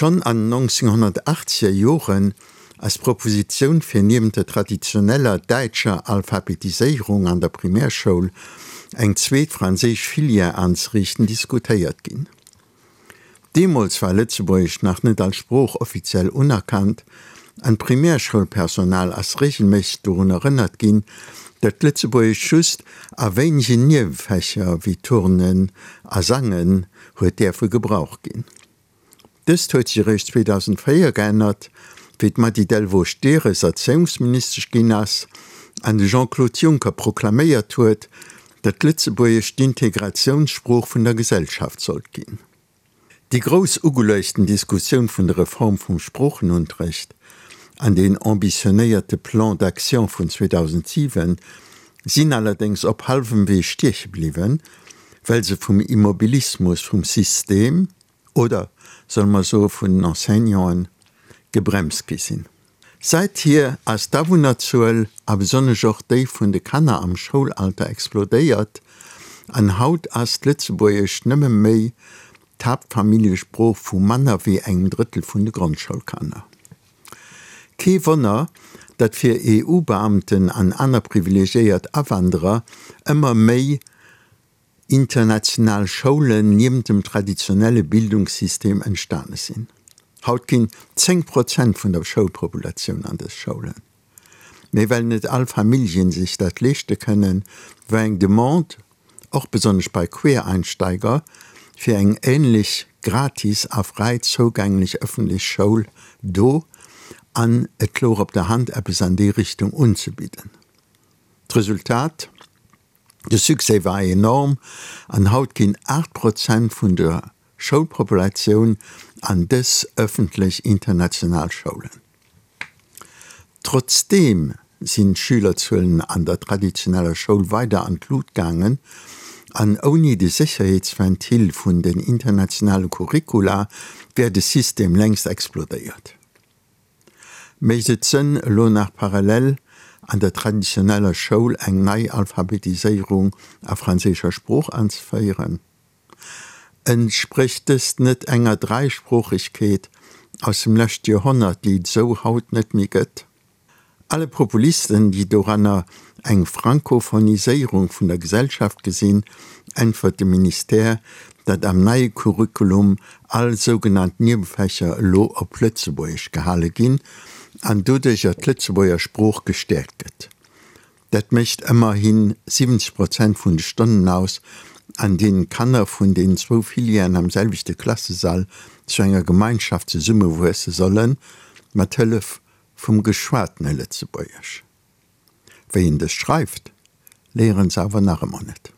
Schonn an den 1980er Joren ass d'Propositioun fir niewent der traditioneller däitscher Alphabetiséierung an der Primärschoul eng zweet franséisch Filière anzeriichten diskutéiert ginn. Deemools war Lëtzebuergesch nach net als Sprooch offiziell unerkannt an d'Primärschoulpersonal ass reegelméisseg dorun erënnert ginn, datt Lëtzebuergesch just a wéinegen Niewefächer wéi Turnen a Sangen huet däerfe gebraucht ginn. Dëst huet sech eréischt 2004 geännert, wéi d'Mady Delvaux-Stehres Erzéiungsministesch ginn ass an de Jean-Claude Juncker proklaméiert huet, datt Lëtzebuergesch d'Integratiounssprooch vun der Gesellschaft sollt ginn. Déi grouss ugeluechten Diskussioun vun der Reform vum Sproochenunterrecht an deen ambitionéierte Plan d'action vun 2007 sinn allerdéngs op hallwem Wee stieche bliwwen, well se vum Immobilismus vum System, oder solle mer soe vun den Enseignanten, gebremst gi sinn. Säithier ass d'Awunnerzuel, a besonnesch och déi vun de Kanner am Schoulalter explodéiert, an haut ass d'Lëtzebuergescht nëmme méi d'Haaptfamilljesprooch vu manner wéi engem Drëttel vun de Grondschoulkanner. Kee Wonner, datt fir EU-Beamten an aner privilegiéiert Awanderer ëmmer méi international Schoulen niewent dem traditionelle Bildungssystem entstane sinn. Haut ginn 10 Prozent vun der Schoulpopulatioun an dës Schoulen. Mee well net all Familljen sech dat leeschte kënnen, war eng Demande, och besonnesch bei Quereinsteiger, fir eng änlech gratis a fräi zougänglech ëffentlech Schoul do an et louch op der Hand eppes an déi Richtung unzebidden. D'Resultat? De Succès war enorm an haut ginn 8 Prozent vun der Schoulpopulatioun an dës ëffentlech international Schoulen. Trotzdeem sinn d'Schülerzuelen an der traditioneller Schoul weider an d'Lut gaangen an ouni de Sécherheetsventil vun den internationale Curricula wär de System längst explodéiert. Mécht et Sënn, elo nach parallel an der traditioneller Schoul eng nei Alphabetiséierung a franséischer Sprooch anzeféieren? Entsprécht dëst net enger Dräisproochegkeet aus dem leschte Joerhonnert, déi et esou haut net méi gëtt? Alle Populisten, déi doranner eng Frankophoniséierung vun der Gesellschaft gesinn, äntwert de Ministère, datt am neie Curriculum all sougenannt Niewefächer elo op Lëtzebuergesch gehale ginn an doduercher d'Lëtzebuerger Sprooch gestäerkt gëtt. Dat mécht ëmmerhi 70 Prozent vun de Stonnen aus, an deenen d'Kanner vun den zwou Filièren am selwechte Klassesall zu enger Gemeinschaft zesummewuesse sollen, mat Hëllef vum geschwatene Lëtzebuergesch. Wéi een dëst schreift, léieren se awer nach ëmmer net.